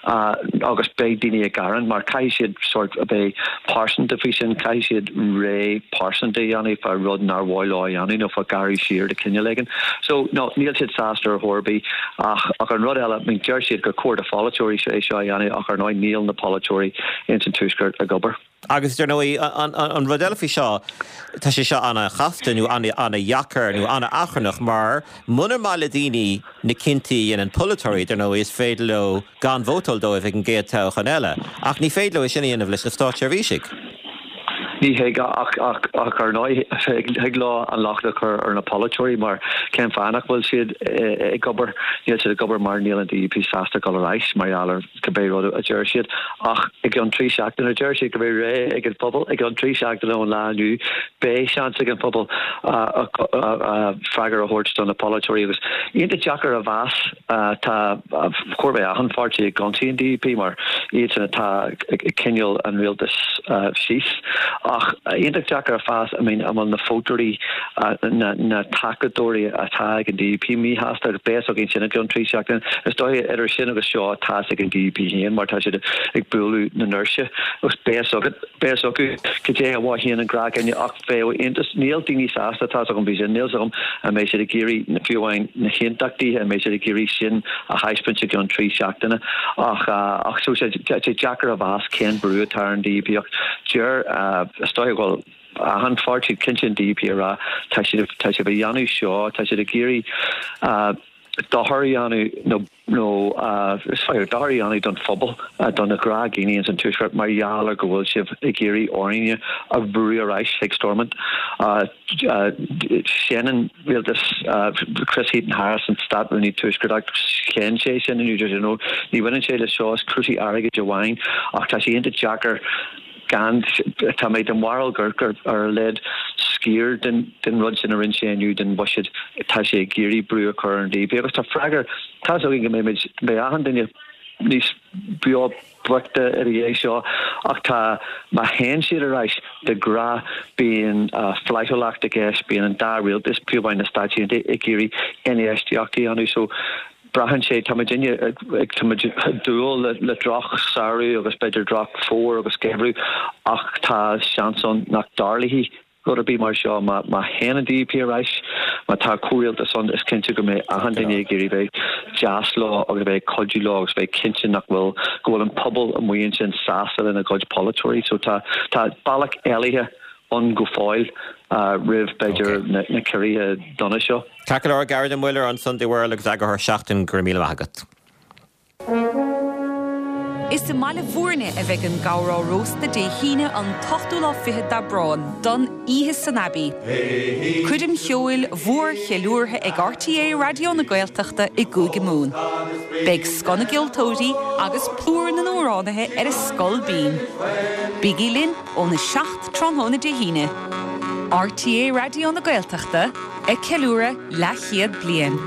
agus beidh daoine ag gearán mar caithfidh siad sórt a bheith pearsanta faoi sin, caithfidh siad rogha pearsanta a dhéanamh fá rud nár mhaith leo a dhéanamh nó fá ghearradh siar de chineál éigin. So, no, níl siad sásta ar chor ar bith ach, ach an rud eile, I mean, deir siad gur chóir do pholaiteoirí é seo a dhéanamh ach ar ndóigh níl na polaiteoirí ins an Tuaisceart ag obair. Agus dar ndóigh, an rud eile faoi seo, tá sé seo an-chasta nó an-dheacair nó an-achrannach mar munar maith le daoine na cinntí a dhéanann polaiteoirí, dar ndóigh, is féidir leo gan vótáil dóibh ag an gcéad toghchán eile. Ach ní féidir leo é sin a dhéanamh leis na státseirbhísigh. Ní thig, ach ar ndóigh, thig leo an locht a chur ar na polaiteoirí mar cén fáth nach bhfuil siad ag obair? Níl siad ag obair mar níl an DUP sásta dul ar ais mar gheall ar cibé rud a deir siad. Ach i gceann 3 seachtaine, deir siad go mbeidh ré ag an phobal, i gceann 3 seachtaine ón lá inniu, beidh seans ag an phobal freagra a thabhairt do na polaiteoirí agus iontach deacair a mheas. Tá chóir a bheith achan pháirtí ag ionsaí an DUP mar iadsan atá ag coinneáil an rialtas síos. Ach iontach deacair a mheas, I mean, an bhfuil na vótóirí, na tacadóirí atá ag an DUP míshásta agus beidh a fhios againn sin i gceann 3 seachtaine. Is dóiche idir sin agus seo tá a fhios ag an DUP féin mar tá siad ag bualadh na ndoirse agus beidh a fhios agat, beidh a fhios acu cad é a mhothaíonn an gnáthdhuine ach bheadh iontas, níl daoine sásta, tá's agam faoi sin, níl 's agam an mbeidh siad ag iarraidh, fiú amháin na haontachtaithe, an mbeidh siad ag iarraidh sin a thaispeáint i gceann 3 seachtaine ach, ach so sé, tá sé deacair a mheas cén brú atá ar an DUP ach deir, is dóiche go bhfuil achan pháirtí, cinnte an DUP ag rá tá siad, tá sibh a dhéanamh seo, tá siad ag iarraidh dochar a dhéanamh nó. nó is féidir dochar a dhéanamh don phobal, do na gnáthdhaoine ins an Tuaisceart mar gheall ar go bhfuil sibh ag iarraidh orainne a bhrú ar ais chuig Stormont. Séanann rialtas Chris Heaton-Harris, an Stát-Rúnaí Tuaisceartach, shéan sé sin inniu, deir sé no, ní bhaineann sé le seo, is cúrsaí airgid amháin ach tá sé iontach deacair gan, tá mé den bharúil gur ar a laghad sciar den rud sin a rinne sé inniu den bhuiséad, tá sé ag iarraidh brú a chur ar an DUP agus tá freagra, tá 'fhios againn go mbeimid, beidh achan duine níos beo boichte ina dhiaidh seo ach tá, má théann siad ar ais, de ghnáth bíonn flaithiúlacht i gceist, bíonn an dá rialtas, fiú amháin na Stáit Aontaithe, ag iarraidh infheistíocht a dhéanamh so Braitheann sé, tá muidinne ag, tá muid ag dúil le droch samhradh agus b'fhéidir droch fómhar agus geimhreadh ach tá seans ann nach dtarlóidh rud ar bith mar seo. Má théann an DUP ar ais, má tá comhrialtas ann, is cinnte go mbeidh achan duine ag iarraidh bheith deas leo agus a bheith ag cuidiú leo agus bheith cinnte nach bhfuil, go bhfuil an pobal amuigh ansin sásta lena gcuid polaiteoirí. So tá, tá bealach éalaithe ann go fóill roimh b'fhéidir na ciorruithe dona seo. Ceart go leor, Gearóid Ó Muilleoir an Sunday World agus eagarthóir Seachtain, go raibh míle maith agat. Is i mBaile Bhúirne a bheidh an Gabhar á Róstadh Dé hAoine an t-ochtú lá fichead d'Aibreán don Oíche san Abbey. Coirm cheoil mhór cheiliúrtha ag RTÉ Raidió na Gaeltachta i gCúige Mumhan. Beidh scoth na gceoltóirí agus plúr na n-amhránaithe ar a scol binn. Bígí linn óna 7 tráthnóna Dé hAoine. RTÉ Raidió na Gaeltachta ag ceiliúradh leathchéad bliain.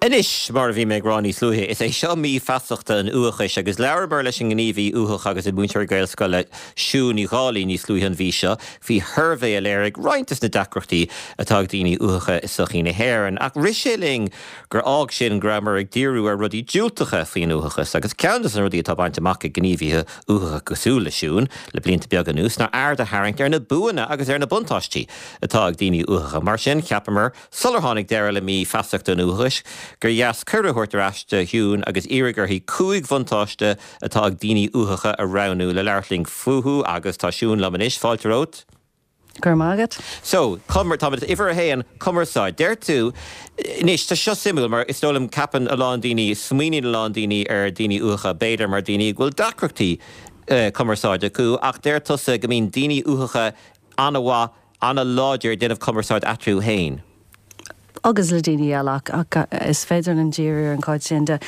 Anois, mar a bhí mé ag rá níos luaithe, is é seo mí feasachta an uathachais agus labhramar leis an ngníomhaí uathach agus an múinteoir Gaelscoile Siún Ní Dhálaigh níos luaithe an mhí seo faoi shuirbhé a léirigh roinnt des na deacrachtaí atá ag daoine uathacha i sochaí na hÉireann. Ach rith sé linn gur fhág sin go rabhamar ag díriú ar rudaí diúltacha faoin uathachas agus ceann des na rudaí atá bainte amach ag gníomhaithe uathacha cosúil le Siún le blianta beaga anuas ná aird a tharraingt ar na buanna agus ar na buntáistí atá ag daoine uathacha. Mar sin, cheapamar, sular tháinig deireadh le mí feasachta an uathachais, gur dheas cuireadh a thabhairt ar ais do Shiún agus iarraidh uirthi 5 bhuntáiste atá ag daoine uathacha a roghnú le labhairt linn fúthu agus tá Siún liom anois. Fáilte romhat. Go raibh maith agat. So, cumar, táimid at uimhir a haon, cumarsáid. Deir tú, anois, tá seo suimiúil mar is dóigh liom ceapann a lán daoine, smaoiníonn a lán daoine ar daoine uathacha b'fhéidir mar daoine go bhfuil deacrachtaí cumarsáide acu ach deir tusa go mbíonn daoine uathacha an-mhaith, an-láidir ag déanamh cumarsáid eatarthu féin. Agus le daoine eile ach, ach is féidir linn díriú ar an chuid sin de.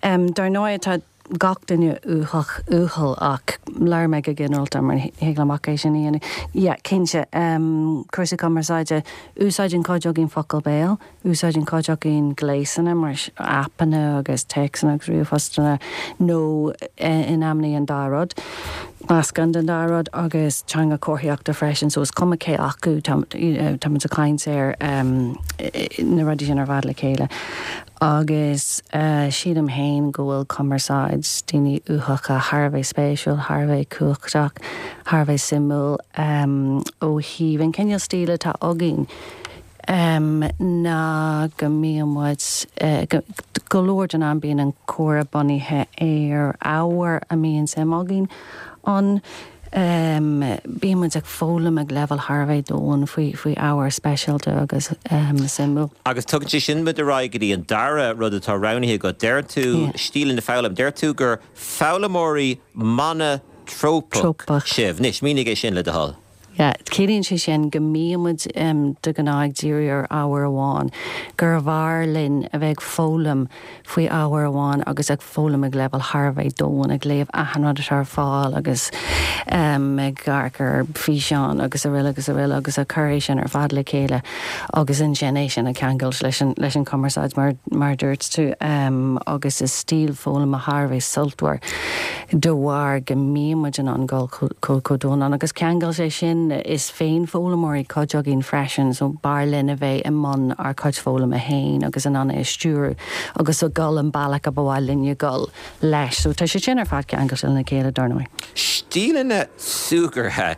Dar ndóigh tá gach duine uathach uathúil ach labhair mé go ginearálta mar ní thig liom ach é sin a dhéanamh. Yeah, cinnte, cúrsaí cumarsáide, úsáideann cuid againn focal béil, úsáideann cuid againn gléasanna mar aipeanna agus téacsanna agus ríomhphostanna nó in amannaí an dá rud, meascán den dá rud agus teanga comharthaíochta freisin so is cuma cé acu tá táimid ag caint ar na rudaí sin ar fad le chéile. Agus sílim féin go bhfuil cumarsáid daoine uathacha thar a bheith spéisiúil, thar a bheith cumhachtach, thar a bheith suimiúil ó thaobh an cineál stíl atá againn ná go mbíonn muid, go leor den am bíonn an comhrá bunaithe ar ábhar a mbíonn suim againn ann. Bíonn muid ag foghlaim ag leibhéal thar a bheith domhain faoi faoi ábhar speisialta agus suimiúil. Agus tugann sé sin muid ar aghaidh go dtí an dara rud atá roghnaithe agat. Deir tú, stíleanna foghlaim, deir tú gur foghlaimeoirí mana. Trópach sibh. Anois, mínigh é sin le do thoil. Yeah, ciallaíonn sé sin go mbíonn muid de ghnáth ag díriú ar ábhar amháin, gurbh fhearr linn a bheith ag foghlaim faoi ábhar amháin agus ag foghlaim ag leibhéal thar a bheith domhain, ag léamh achan rud atá ar fáil agus ag amharc ar físeáin agus araile agus araile agus ag cur é sin ar fad le chéile agus ansin é sin a cheangailt leis an leis an chumarsáid mar mar a dúirt tú agus is stíl foghlama thar a bheith sultmhar de bharr go mbíonn muid in ann dul chomh domhain ann. Agus ceangal sé sin, is féinfhoghlaimeoirí cuid againn freisin, so b'fhearr linn a bheith i mbun ár gcuid foghlama féin agus in ann é a stiúradh agus a dhul an bealach a ba mhaith linne dul leis. So tá sé sin ar fad ceangailte lena chéile, dar ndóigh. Stíleanna súgartha.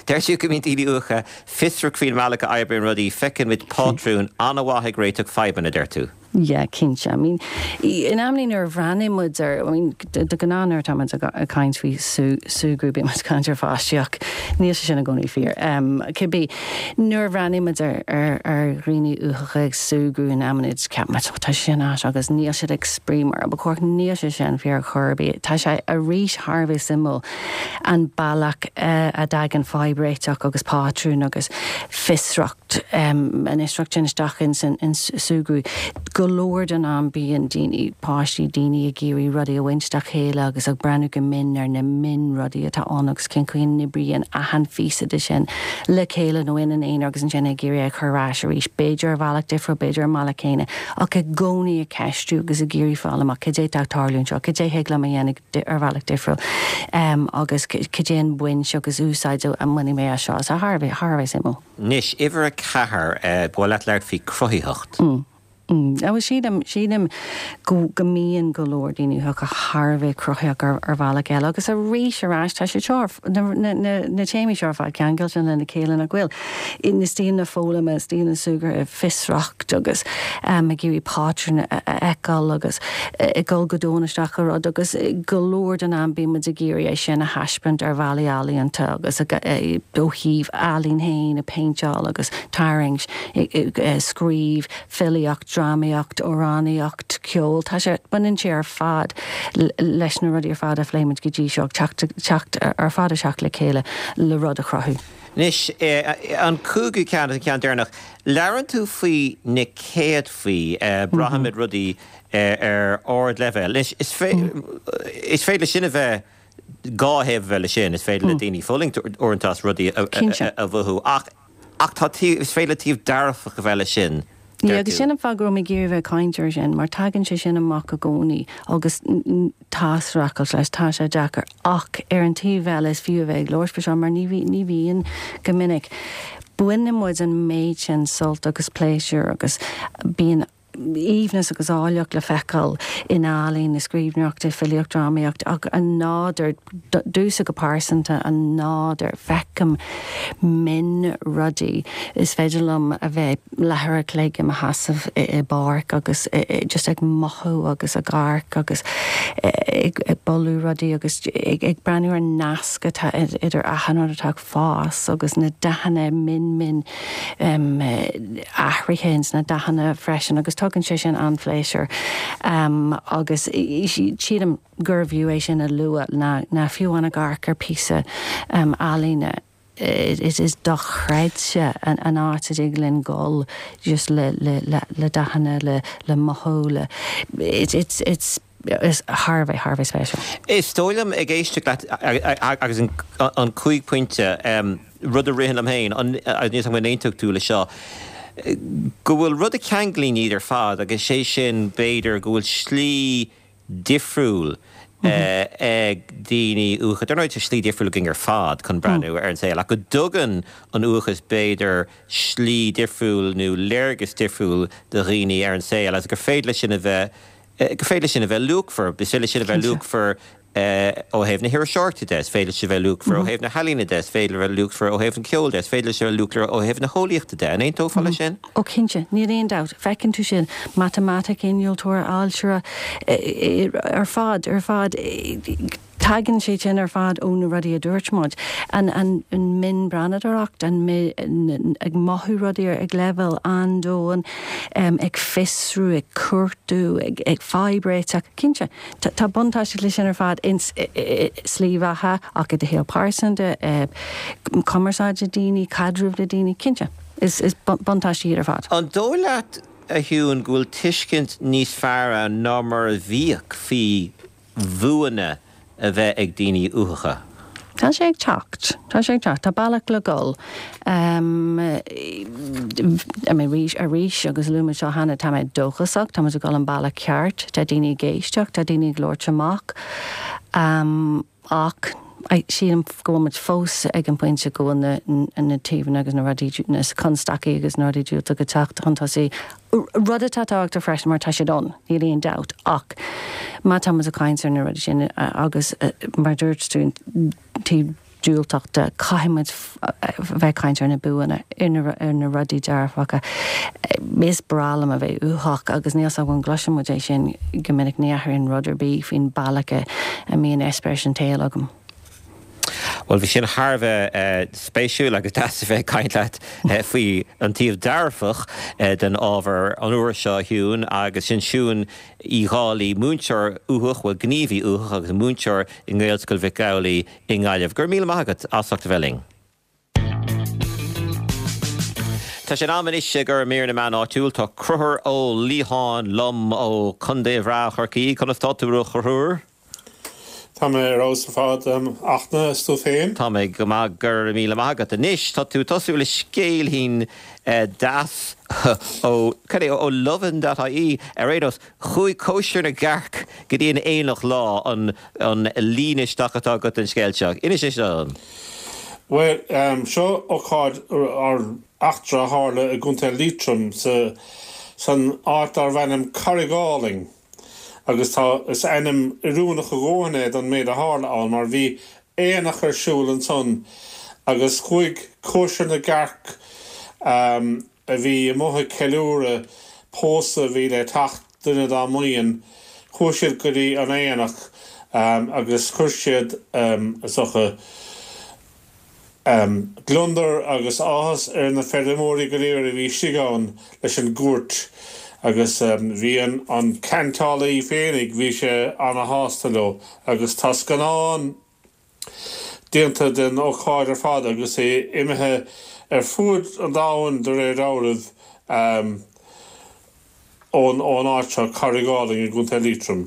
Deir tú go mbíonn daoine uathacha fiosrach faoin mbealach a oibríonn rudaí, feiceann muid pátrúin, an-mhaith ag réiteach fadhbanna, deir tú. Yeah, cinnte. I mean, in amannaí nuair a bhreathnaíonn muid ar, I mean, de ghnáth nuair atá muid ag caint faoi súgradh, bíonn muid ag caint ar pháistí ach níl sé sin i gcónaí fíor. Cibé, nuair a bhreathnaíonn muid ar, ar, ar dhaoine uathacha ag súgradh in amannaí, ceapann muid, oh, tá sé sin ait agus níl siad ag spraoi mar a ba chóir. Níl sé sin fíor ar chor ar bith. Tá sé arís thar a bheith suimiúil an bealach a dtagann fadhb réiteach agus pátrún agus fiosracht, an fhiosracht sin isteach ins an súgradh. Go leor den am bíonn daoine, páistí, daoine ag iarraidh rudaí a bhaint dá chéile agus ag breathnú go mion ar na mionrudaí atá ann agus cén chaoi a n-oibríonn achan phíosa de sin le chéile nó ina n-aonar agus ansin ag iarraidh é a chur ar ais arís, b'fhéidir ar bhealach difriúil, b'fhéidir ar an mbealach céanna ach i gcónaí ag ceistiú agus ag iarraidh fáil amach cad é atá ag tarlú anseo, cad é thig liom a dhéanamh. ar bhealach difriúil agus cad é an bhaint agus úsáid a mbainfidh mé as seo. So thar a bheith, thar a bheith suimiúil. Anois, uimhir 4, ba mhaith leat labhairt faoi cruthaitheacht. Mm. Bhuel, sílim, sílim go, go mbíonn go leor daoine uathacha thar a bheith cruthaitheach ar, ar bhealach eile agus arís ar ais tá siad seo ar, na, na, na, na téamaí seo ar fad ceangailte lena chéile nach bhfuil? Na stíleanna foghlama, stíleanna súgartha, fiosracht agus ag iarraidh pátrún a fheiceáil agus ag dul go domhain isteach i rud agus go leor den am bíonn muid ag iarraidh é sin a thaispeáint ar bhealaí ealaíonta agus ó thaobh ealaín féin, ag péinteáil agus tarraingt, scríobh, filíocht, drámaíocht, amhránaíocht, ceol, tá sé, baineann sé ar fad leis na rudaí ar fad a phléigh muid go dtí seo, teacht, teacht ar fad isteach le chéile le rud a chruthú. Anois, an cúigiú ceann agus an ceann deireanach, labhrann tú faoi na céadfaí, braithimid rudaí ar ardleibhéal. Anois, is féidir leis sin a bheith, dhá thaobh a bheith leis sin, is féidir le daoine fulaingt uaireanta as rudaí a mhothú, ach tá taobh, is féidir le taobh dearfach a bheith leis sin. Yeah, agus sin an fáth go raibh mé ag iarraidh a bheith ag caint air sin, mar tagann sé sin amach i gcónaí agus tá streachailt leis, tá sé deacair ach ar an taobh eile is fiú a bheith ag labhairt faoi seo mar ní ní bhíonn go minic. Baineann muid an méid sin sult agus pléisiúr agus bíonn aoibhneas agus áilleacht le feiceáil in ealaín, i scríbhneoireacht, i filíocht, drámaíocht ach an nádúr, domhsa go pearsanta, an nádúr, feicim mionrudaí, is féidir liom a bheith leathuair a chloig i mo sheasamh i bpáirc agus just ag mothú agus ag amharc agus ag bolú rudaí agus ag breathnú ar an nasc atá idir achan rud atá ag fás agus na dathanna min min athruithe ins na dathanna freisin agus tugann sé sin an-phléisiúr agus sílim gurbh fhiú é sin a lua ná fiú amháin ag amharc ar píosa ealaíne is dochreidte an áit a dtig linn dul just le le le dathanna le le mothú le it's it's it's is thar a bheith thar a bheith spéisiúil. Is dóigh liom ag éisteacht leat agus an 5 pointe, rud a ritheann liom féin, agus níl 'fhios agam an aontóidh tú le seo, go bhfuil rud a cheanglaíonn iad ar fad agus sé sin b'fhéidir go bhfuil slí difriúil ag daoine uathacha. Dar ndóigh tá slí difriúil againn ar fad chun breathnú ar an saol ach go dtugann an uathachas b'fhéidir slí difriúil nó léargas difriúil do dhaoine ar an saol agus gur féidir leis sin a bheith, gur féidir leis sin a bheith luachmhar. Is féidir leis sin a bheith luachmhar ó thaobh na hiriseoireachta de, is féidir leis sin a bheith luachmhar ó thaobh na healaíne de, is féidir a bheith luachmhar ó thaobh an cheoil de, is féidir leis sin a bheith luachmhar ó thaobh na heolaíochta de. An aontófá leis sin? Ó cinnte, níl aon dabht. Feiceann tú sin, matamaiticeoir, innealtóir, ailtire, ar fad, ar fad. Tagann sé sin ar fad ó na rudaí a dúirt muid. An an mhionbhreathnadóireacht, an ag mothú rudaí ag leibhéal an-domhain, ag fiosrú, ag cuartú, ag fadhb réiteach. Cinnte, tá buntáiste leis sin ar fad ins slí bheatha ach i do shaol pearsanta, cumarsáid le daoine, caidreamh le daoine. Cinnte, is buntáistí iad ar fad. An dóigh leat, a Shiún, go bhfuil tuiscint níos fearr ann ná mar a bhíodh faoi bhuanna a bheith ag daoine uathacha. Tá sé ag teacht. Tá sé ag teacht. Tá bealach le dhul. I mean, arís, arís, agus luaigh muid seo cheana, tá mé dóchasach, tá muid ag dul an bealach ceart, tá daoine ag éisteacht, tá daoine ag labhairt amach. Ach sílim go bhfuil muid fós ag an bpointe go bhfuil na na taobhanna agus na rudaí, na constaicí agus na rudaí diúltacha ag teacht chun tosaigh, rud atá tábhachtach freisin mar tá siad ann, níl aon dabht, ach má tá muid ag caint ar na rudaí sin agus mar a dúirt tú, taobh diúltach de, caithfidh muid bheith ag caint ar na buanna, ar na rudaí dearfacha. Is breá liom a bheith uathach agus níl 's agam an gcloiseann muid é sin go minic, ní athraíonn rud ar bith faoin bealach a mbíonn eispéireas an tsaoil agam. Bhuel, bhí sin thar a bheith spéisiúil agus deas a bheith ag caint leat faoi an taobh dearfach den ábhar an uair seo, a Shiún, agus sin Siún Uí Dhálaigh, múinteoir uathach, bhuel, gníomhaí uathach agus múinteoir i nGaelscoil Mhic Amhlaigh i nGaillimh. Go raibh míle maith agat as ucht a bheith linn. Tá sé in am anois ag dul ar mír na meán áitiúil. Tá Conchúr Ó Liatháin liom ó Chontae bhreá Chorcaí. Conas tá tú, a Chonchúir? Tá mé ar fheabhas ar fad, a Fhachtna, is tú féin? Tá mé go maith, go raibh míle maith agat. Anois, tá tú ag tosú le scéilín deas ó, cad é, ó Lovin dot ie. Ar aon nós, Chuaigh cóisir na gcearc go dtí an aonach lá, an an líne isteach atá agat don scéal seo. Inis é seo dom. Bhuel, seo ócáid, or eachtra a tharla i gContae Liatroim sa san áit darbh ainm Carrigaline agus tá, is ainm oiriúnach a dhóthain é don méid a tharla ann mar bhí aonach ar siúl ansan agus chuaigh cóisir na gcearc a bhí amuigh ag ceiliúradh pósadh a bhí le teacht duine dá mbuíon, chuaigh siad go dtí an aonach agus chuir siad, is dócha, gliondar agus áthas ar na feirmeoirí go léir a bhí istigh ann leis an gcuairt agus bhí an ceantálaí féinig, bhí sé ana-shásta leo agus tá scannán. déanta den ócáid ar fad agus é imithe ar fuaid an domhain de réir dealraimh ón ón áit seo, Carrigaline i gContae Liatroim.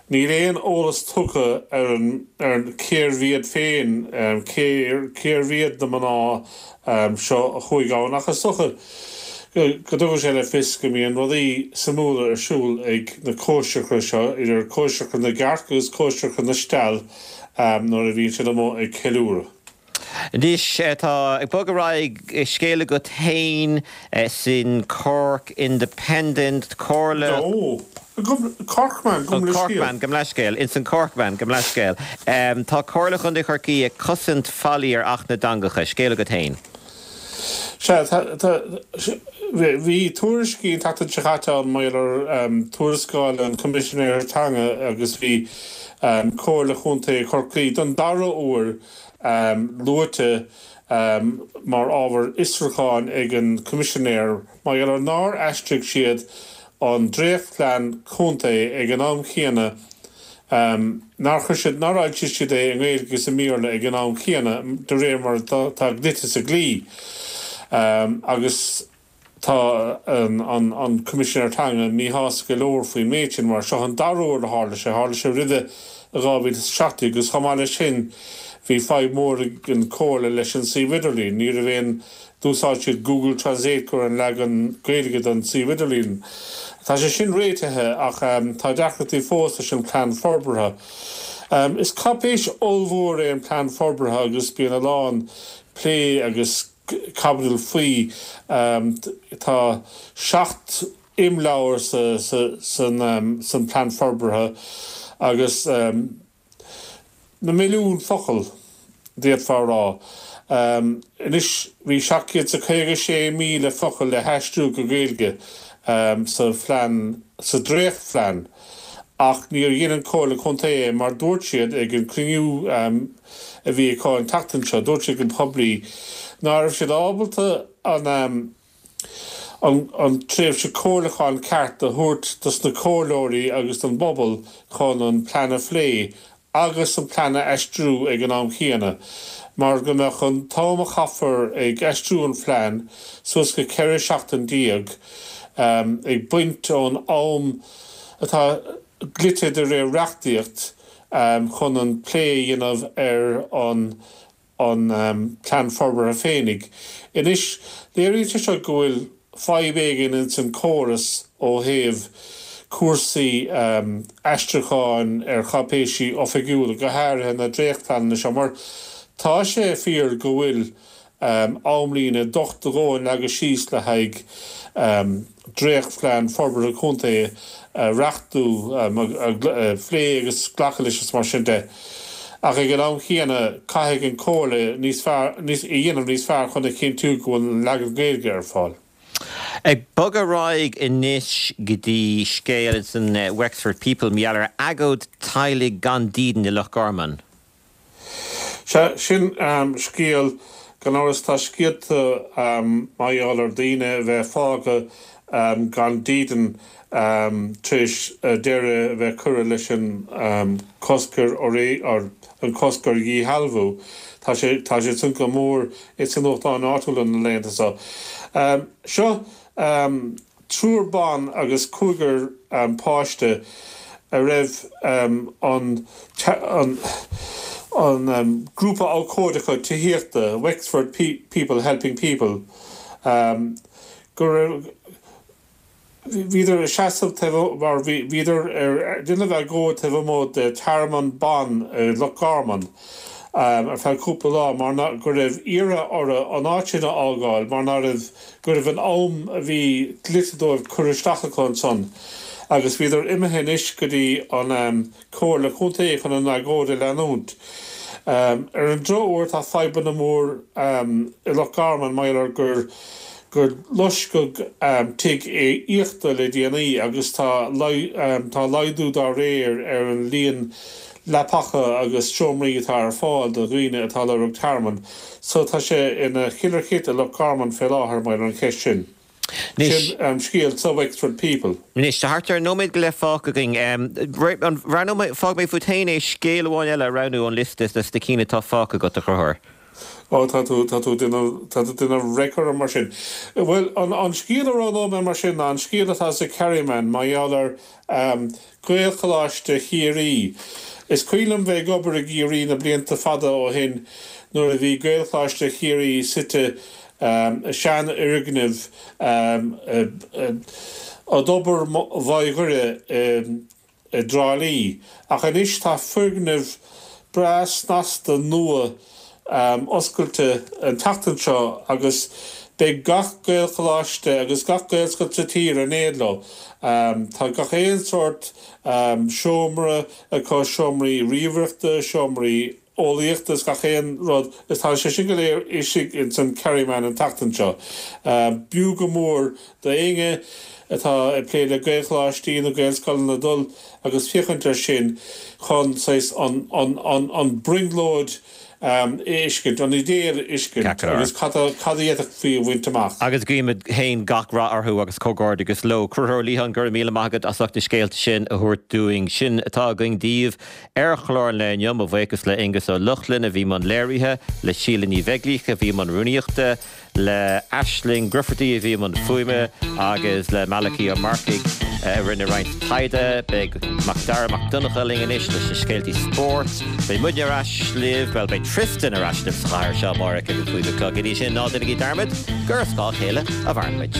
Níl aon eolas tugtha ar an ar cérbh iad féin, cé cérbh iad na mná seo a chuaigh ann ach is dócha go dtugann sé le fios go mbíonn rudaí suimiúla ar siúl ag na cóisireacha seo, idir cóisireacha na gcearc agus cóisireacha na steall. nuair a bhíonn siad amuigh ag ceiliúradh. Anois tá ag bogadh ar aghaidh, scéal agat féin san Cork Independent, Comhairle. No, Corkman, gabh mo leithscéal. Corkman, gabh mo leithscéal. Ins an Corkman, gabh mo leithscéal. Tá Comhairle Chontae Chorcaí ag cosaint faillí ar Acht na dTeangacha. Scéal agat féin. Sea, tá, bhí tuairiscí an tseachtain seo caite ann mar gheall ar tuarascáil an Choimisinéara Teanga agus bhí Comhairle Chontae Chorcaí don dara huair luaite mar ábhar fhiosrúcháin ag an Choimisinéir mar gheall ar nár aistrigh siad an dréachtphlean contae ag an am chéanna nár chuir siad, nár fhoilsigh siad é i nGaeilge agus i mBéarla ag an am chéanna, de réir mar atá dlite sa dlí. Agus tá an Coimisinéir Teanga míshásta go leor faoin méid sin, mar seo an dara huair a tharla sé, tharla sé roimhe i 2017 agus chomh maith leis sin bhí fadhb mhór ag an Chomhairle leis an suíomh idirlín, ní raibh aon D'úsáid siad Google Translate go raibh an leagan Gaeilge den suíomh idirlín. Tá sé sin réitithe ach tá deacrachtaí fós leis an bplean forbartha. Is cáipéis ollmhór é an plean forbartha agus bíonn a lán plé agus caibidil faoi. Tá 7 imleabhar san plean forbartha agus. Na milliúin focal, d'fhéadfá a rá. Anois, bhí 756,000 focal le haistriú go Gaeilge sa phlean, sa dréachtphlean. Ach níor dhein an Comhairle Contae é mar dúirt siad ag an cruinniú a bhí acu an tseachtain seo, dúirt siad go poiblí ná raibh siad ábalta an an tréimhse comhairliúcháin ceart a thabhairt dos na comhairleoirí agus don bpobal chun an plean a phlé agus an plean a aistriú ag an am chéanna mar go mbeadh an t-am a chaithfear ag aistriú an phlean suas go 14 seachtain ag baint ón am atá dlite de réir reachtaíocht chun an plé a dhéanamh ar an an Plean Forbartha féinig. Anois, léiríonn sé seo go bhfuil fadhb éigin ins an córas ó thaobh cúrsaí aistriúcháin ar cháipéisí oifigiúla, go háirithe na dréachtphleananna seo, mar tá sé fíor go bhfuil amlíne docht a dhóthain leagtha síos le haghaidh dréachtphlean forbartha contae a reachtú, a phlé agus glacadh leis is mar sin de. Ach ag an am chéanna, caithfidh an Chomhairle níos fearr, a dhéanamh níos fearr chun a chinntiú go bhfuil an leagan Gaeilge ar fáil. Ag bogadh ar aghaidh anois go dtí scéal ins an Wexford People, mar gheall ar agóid teaghlaigh gan dídean i Loch Garman. Sea, sin scéal, gan amhras. Tá scéalta mar gheall ar daoine a bheith fágtha gan dídean tar éis deireadh a bheith curtha leis an cosc ar an cosc ar dhíshealbhú. Tá sé tá sé san go mór ins na nuachtáin áitiúla na laethanta seo. Seo triúr ban agus cúigear páiste a raibh an an grúpa abhcóideacha tithíochta, Wexford People Helping People, go raibh bhíodar ag seasamh taobh mar bhíodar ar déanamh agóid taobh amuigh de tearmann ban i Loch Garman ar feadh cúpla lá mar go raibh iarrtha orthu an áit sin a fhágáil mar ná raibh go raibh an am a bhí dlite dóibh curtha isteach acu ansan agus bhíodar imithe anois go dtí an Comhairle Contae chun an agóid a leanúint. Ar an drochuair tá fadhbanna mór i Loch Garman mar gheall ar gur gur loisceadh tigh aíochta le déanaí agus tá tá laghdú dá réir ar an líon leapacha agus seomraí atá ar fáil do dhaoine atá ag lorg tearmainn. So tá sé ina chillr chit i Loch Garman fé láthair mar gheall ar an cheist sin. Sin an scéal sa Wexford People. Anois, tá thart ar nóiméad go leith fágtha againn. Roghnóidh mé, fágfaidh mé fút féin é scéal amháin eile a roghnú ón liosta de na cinn atá fágtha agat, a Chonchúir. Ó, tá tú, tá tú ag déanamh, tá tú ag déanamh raic orm mar sin. Bhuel, an, an scéal a roghnóidh mé mar sin ná an scéal atá sa Kerryman mar gheall ar Gaelcholáiste Chiarraí. Is cuimhin liom bheith ag obair i gCiarraí na blianta fada ó shin nuair a bhí Gaelcholáiste Chiarraí suite i seanfhoirgneamh i dTobar Mhaigh Dhoire i dTrá Lí. Ach anois tá foirgneamh breá snasta nua oscailte an tseachtain seo agus beidh gach Gaelcholáiste agus gach Gaelscoil sa tír in éad leo. Tá gach aon sórt seomra acu, seomraí ríomhaireachta, seomraí eolaíochta is gach aon rud is tá sé sin go léir istigh ins an Kerryman an tseachtain seo. B'fhiú go mór do éinne atá ag plé le Gaelcholáistí nó Gaelscoileanna dul agus féachaint air sin chun saghas an an an an brionglóid a fheiscint, an idéal a fheiscint agus cad a cad a d'fhéadfaí a bhaint amach. Agus guímid féin gach rath orthu agus comhghairdeachas leo. Conchúr Ó Liatháin, go raibh míle maith agat as ucht na scéalta sin a thabhairt dúinn. Sin atá againn daoibh ar chlár an lae inniu. Mo bhuíochas le Aonghus Ó Lochlainn a bhí i mbun léirithe, le Síle Ní Bheaglaoich a bhí i mbun rúnaíochta, le Aisling Grufferty a bhí i mbun fuaime agus le Malachy Ó Marcaigh a rinne roinnt taighde. Beidh Macdara Mac Donncha linn anois leis na scéaltaí spóirt. Beidh muidne ar ais libh, bhuel, beidh Tristan ar ais libh sa chathair seo amárach ag a 5 a chlog. Go dtí sin, ná déanaigí dearmad gur ar scáth a chéile a mhaireann muid.